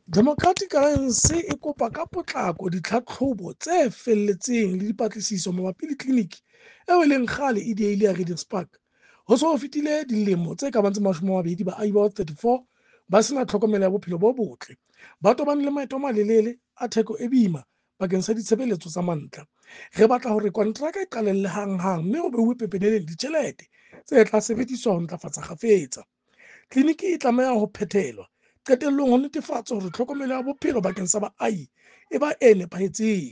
Democratic Alliance e kopa ka potlako ditlhatlhobo tse felletseng le dipatlisiso mabapi le tleliniki eo e leng kgale e diehile ya Regents Park. Ho se ho fetile dilemo tse ka bang tse 20 baahi ba 34 ba sena tlhokomelo ya bophelo bo botle. Ba tobane le maeto a malelele a theko e boima bakeng sa ditshebeletso tsa mantlha. Re batla hore kontraka e qalelle hanghang mme ho beuwe pepeneneng ditjhelete tse tla sebediswa ho ntlafatsa kgafetsa. Tleliniki e tlameha ho phethelwa qetellong ho netefatsa hore tlhokomelo ya bophelo bakeng sa baahi e ba e nepahetseng.